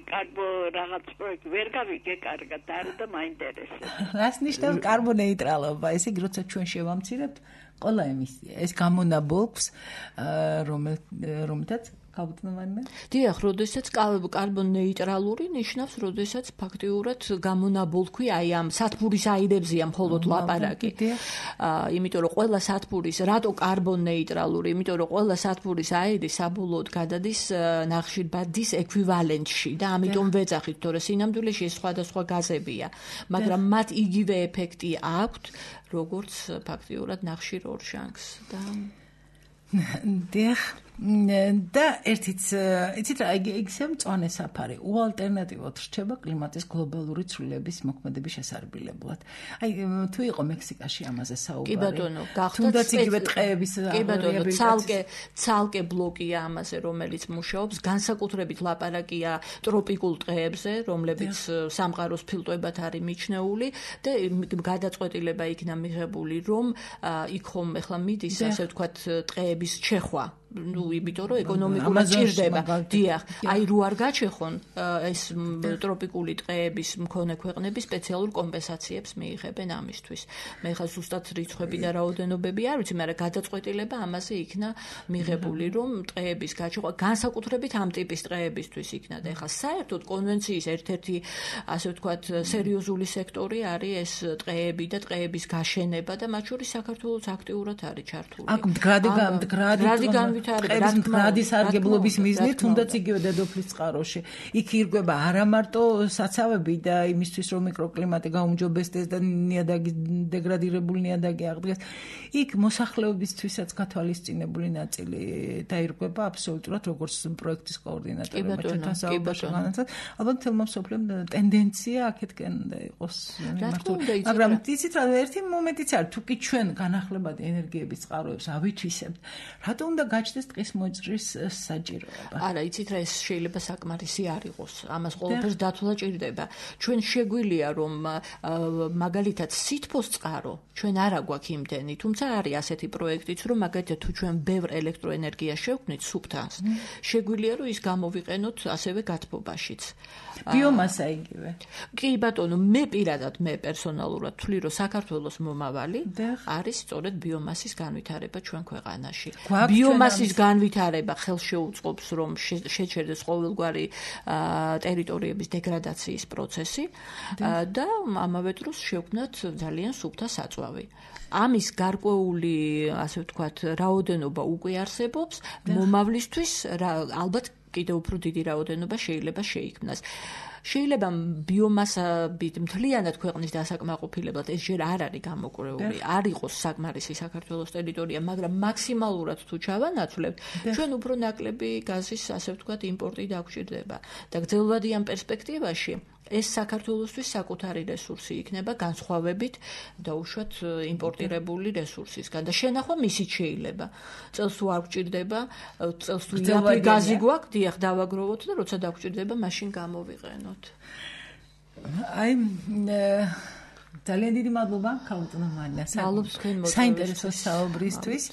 კარბო რაღაც პროექტი ვერ გავიგე კარგად, არა და მაინტერესებს.
რას ნიშნავს კარბონეიტრალობა? ესე იგი, როცა ჩვენ შევამცირებთ ყველა ემისია, ეს გამონაბოლქვს, რომელთაც ქალბატონოვანი?
დიახ, როდესაც კარბონეიტრალური ნიშნავს, როდესაც ფაქტიურად გამონაბოლქვი აი ამ სათბურის აირებზეა მხოლოდ ლაპარაკი. იმიტომ რომ ყველა სათბურის, რატო კარბონეიტრალური? იმიტომ რომ ყველა სათბურის აირი საბოლოოდ გადადის ნახშირბადის ექვივალენტში და ამიტომ ვეძახით, თორე სინამდვილეში ეს სხვადასხვა გაზებია, მაგრამ მათ იგივე ეფექტი აქვთ, როგორც ფაქტიურად ნახშირორჟანგს და
დიახ. და ერთიც იცით რა ისე მწვანე საფარი უალტერნატივოდ რჩება კლიმატის გლობალური ცვლილების მოქმედების შესარბილებლად. აი თუ იყო მექსიკაში ამაზე საუბარი.
კი ბატონო, გახდა
თუნდაც იგივე ტყეების
კი ბატონო, ცალკე ცალკე ბლოკია ამაზე, რომელიც მუშაობს, განსაკუთრებით ლაპარაკია ტროპიკულ ტყეებზე, რომლებიც სამყაროს ფილტვებად არის მიჩნეული და გადაწყვეტილება იქნა მიღებული, რომ იქ ხომ ახლა მიდის, ასე ვთქვათ, ტყეების ჩეხვა. ну, იმიტომ რომ ეკონომიკურად ჭირდება. დიახ, აი რო არ გაჩეხონ ეს ტროპიკული ტყეების მქონე ქვეყნები სპეციალურ კომპენსაციებს მიიღებენ ამისთვის. მე ხა ზუსტად რიცხვები და რაოდენობები არ ვიცი, მაგრამ გადაწყვეტილება ამაზე იქნა მიღებული, რომ ტყეების გაჩეხვა განსაკუთრებით ამ ტიპის ტყეებისთვის იქნა და ხა საერთოდ კონვენციის ერთ-ერთი ასე ვთქვათ სერიოზული სექტორი არის ეს ტყეები და ტყეების გაშენება და მათ შორის საქართველოს აქტიურად არის ჩართული.
აქ მდგრადი მდგრადი მრადი სარგებლობის მიზნით, თუნდაც იგივე დედოფლის წყაროში. იქ ირგვება არა მარტო საცავები და იმისთვის რომ მიკროკლიმატი გაუმჯობესდეს და ნიადაგი დეგრადირებული ნიადაგი აღდგეს. იქ მოსახლეობისთვისაც გათვალისწინებული ნაწილი დაირღვება აბსოლუტურად როგორც პროექტის კოორდინატორმა ჩვენთან საუბარში განაცხადა. ალბათ თელმა მსოფლიომ ტენდენცია აქეთკენ უნდა იყოს მიმართული. მაგრამ იცით რა ერთი მომენტიც არის თუ კი ჩვენ განახლებადი ენერგიების წყაროებს ავითვისებთ, რატო უნდა გაჩნდეს ტყის მოძღვრის საჭიროება?
არა, იცით რა ეს შეიძლება საკმარისი არ იყოს. ამას ყველაფერს დათვლა ჭირდება. ჩვენ შეგვიძლია რომ მაგალითად სითბოს წყარო ჩვენ არა გვაქვს იმდენი, თუმცა არის ასეთი პროექტიც რომ მაგალითად თუ ჩვენ ბევრ ელექტროენერგიას შევქმნით სუფთას, შეგვიძლია რომ ის გამოვიყენოთ ასევე გათბობაშიც.
ბიომასა იგივე.
კი ბატონო, მე პირადად მე პერსონალურად ვთვლი რომ საქართველოს მომავალი არის სწორედ ბიომასის განვითარება ჩვენ ქვეყანაში. ბიომასის განვითარება ხელს შეუწყობს რომ შეჩერდეს ყოველგვარი ტერიტორიების დეგრადაციის პროცესი და ამავე დროს შევქმნათ ძალიან სუფთა საწვავი. ამის გარკვეული, ასე ვთქვათ, რაოდენობა უკვე არსებობს, მომავლისთვის ალბათ კიდევ უფრო დიდი რაოდენობა შეიძლება შეიქმნას. შეიძლება ბიომასებით მთლიანად ქვეყნის დასაკმაყოფილებლად ეს ჯერ არ არის გამოკვლეული, არ იყოს საკმარისი საქართველოს ტერიტორია, მაგრამ მაქსიმალურად თუ ჩავანაცვლებთ, ჩვენ უფრო ნაკლები გაზის, ასე ვთქვათ, იმპორტი დაგვჭირდება და გრძელვადიან პერსპექტივაში ეს საქართველოსთვის საკუთარი რესურსი იქნება განსხვავებით დაუშვათ იმპორტირებული რესურსისგან და შენახვა მისიც შეიძლება. წელს თუ არ გვჭირდება, წელს თუ იაფი გაზი გვაქვს, დიახ, დავაგროვოთ და როცა დაგვჭირდება, მაშინ გამოვიყენოთ.
აი ძალიან დიდი მადლობა ქალბატონო მარინა. საინტერესო საუბრისთვის.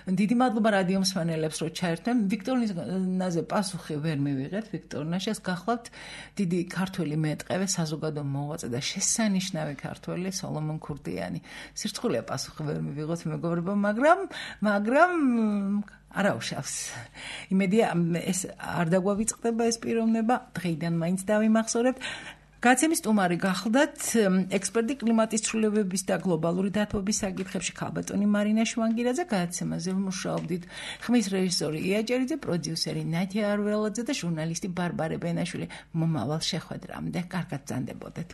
დიდი მადლობა რადიო მსმენელებს რომ ჩაერთვენ. ვიქტორინაზე პასუხი ვერ მივიღეთ. ვიქტორინაშეს გახლავთ დიდი ქართველი მეტყევე, საზოგადო მოღვაწე და შესანიშნავი ქართველი სოლომონ ქურდიანი. სირცხულია პასუხი ვერ მივიღოთ მეგობრებო, მაგრამ მაგრამ არაუშავს. იმედია ეს არ დაგვავიწყდება ეს პიროვნება, დღეიდან მაინც დავიმახსოვრებთ. გაცემის სტუმარი გახლდათ ექსპერტი კლიმატის ცვლილებების და გლობალური დათბობის საკითხებში ქალბატონი მარინა შვანგირაძე, გადაცემაზე მუშაობდით ხმის რეჟისორი ია ჭერიძე, პროდიუსერი ნადია არველაძე და ჟურნალისტი ბარბარე ბენაშვილი. მომავალ შეხვედრამდე კარგად ბრძანდებოდეთ.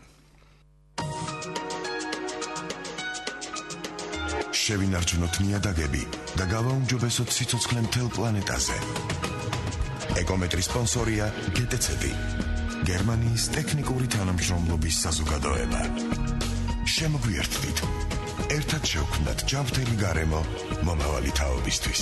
შევინარჩუნოთ ნიადაგები და გავაუმჯობესოთ სიცოცხლე მთელ პლანეტაზე. ეკომეტრის სპონსორია გეტეცები, გერმანიის ტექნიკური თანამშრომლობის საზოგადოება. შემოგვიერთდით, ერთად შევქმნათ ჯანმრთელი გარემო მომავალი თაობისთვის.